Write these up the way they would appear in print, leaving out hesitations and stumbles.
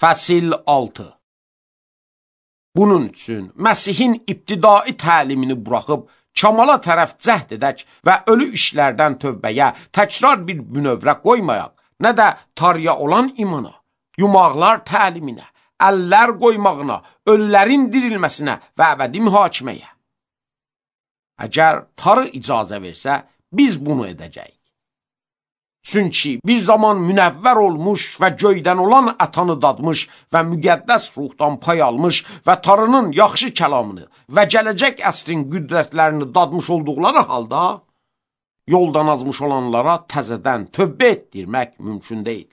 Fəsil 6. Bunun üçün Məsihin ibtidai təlimini buraxıb kamala tərəf cəhd edək və ölü işlərdən tövbəyə təkrar bir bünövrə qoymayaq, nə də tarıya olan imana, yumaqlar təliminə, əllər qoymağına, ölülərin dirilməsinə və əbədi mühakiməyə. Əgər tarı icazə versə, biz bunu edəcəyik. Çünki bir zaman münəvvər olmuş və göydən olan ətanı dadmış və müqəddəs ruhdan pay almış və tarının yaxşı kəlamını və gələcək əsrin qüdrətlərini dadmış olduqları halda, yoldan azmış olanlara təzədən tövbə etdirmək mümkün deyil.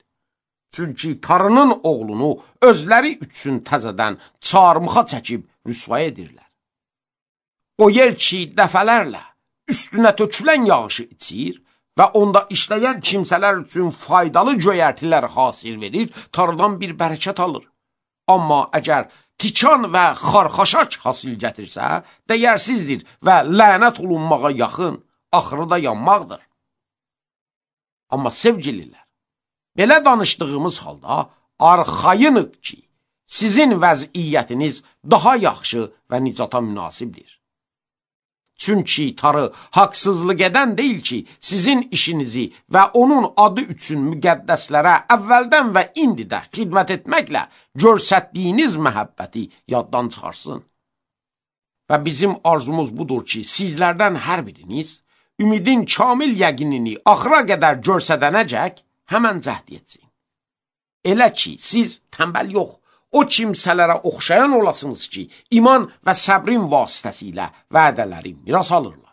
Çünki tarının oğlunu özləri üçün təzədən çarmıxa çəkib rüsvay edirlər. O yer ki, dəfələrlə üstünə tökülən yağışı içir və onda işləyən kimsələr üçün faydalı göyərtilər hasil verir, tarıdan bir bərəkət alır. Amma əgər tikan və xarxaşaç hasil gətirsə, dəyərsizdir və lənət olunmağa yaxın, axırı da yanmaqdır. Amma sevgililər, belə danışdığımız halda arxayınıq ki, sizin vəziyyətiniz daha yaxşı və nicata münasibdir. Çünki tarı haqsızlıq edən deyil ki, sizin işinizi və onun adı üçün müqəddəslərə əvvəldən və indi də xidmət etməklə görsətdiyiniz məhəbbəti yaddan çıxarsın. Və bizim arzumuz budur ki, sizlərdən hər biriniz ümidin kamil yəqinini axıra qədər görsədənəcək həmən cəhd etsin. Elə ki, siz tənbəl yox, o kimsələrə oxşayan olasınız ki, iman və səbrin vasitəsilə vədələri miras alırlar.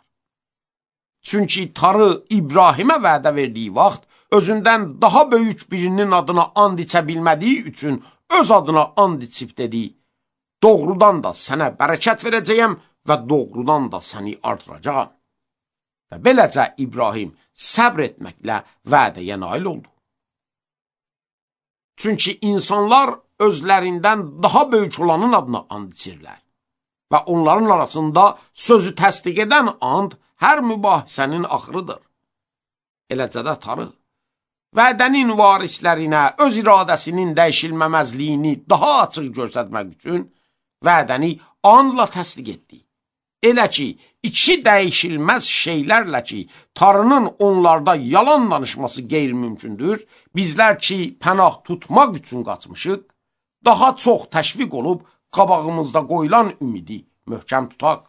Çünki tarı İbrahimə vədə verdiyi vaxt, özündən daha böyük birinin adına and içə bilmədiyi üçün öz adına and içib dedi, doğrudan da sənə bərəkət verəcəyəm və doğrudan da səni artıracağam. Və beləcə İbrahim səbr etməklə vədəyə nail oldu. Çünki insanlar özlərindən daha böyük olanın adına and içirlər və onların arasında sözü təsdiq edən and hər mübahisənin axırıdır. Eləcə də tarı, vədənin varislərinə öz iradəsinin dəyişilməməzliyini daha açıq göstərmək üçün vədəni andla təsdiq etdi. Elə ki, iki dəyişilməz şeylərlə ki, tarının onlarda yalan danışması qeyri-mümkündür, bizlər ki, pənah tutmaq üçün qaçmışıq, daha çox təşviq olub qabağımızda qoyulan ümidi möhkəm tutaq.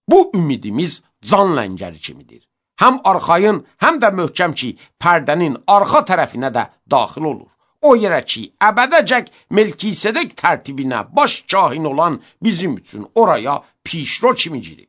Bu ümidimiz can ləngəri kimidir. Həm arxayın, həm də möhkəm ki, pərdənin arxa tərəfinə də daxil olur. O yerə ki, əbədəcək Melkisedek tərtibinə baş kahin olan bizim üçün oraya pişro kimi girir.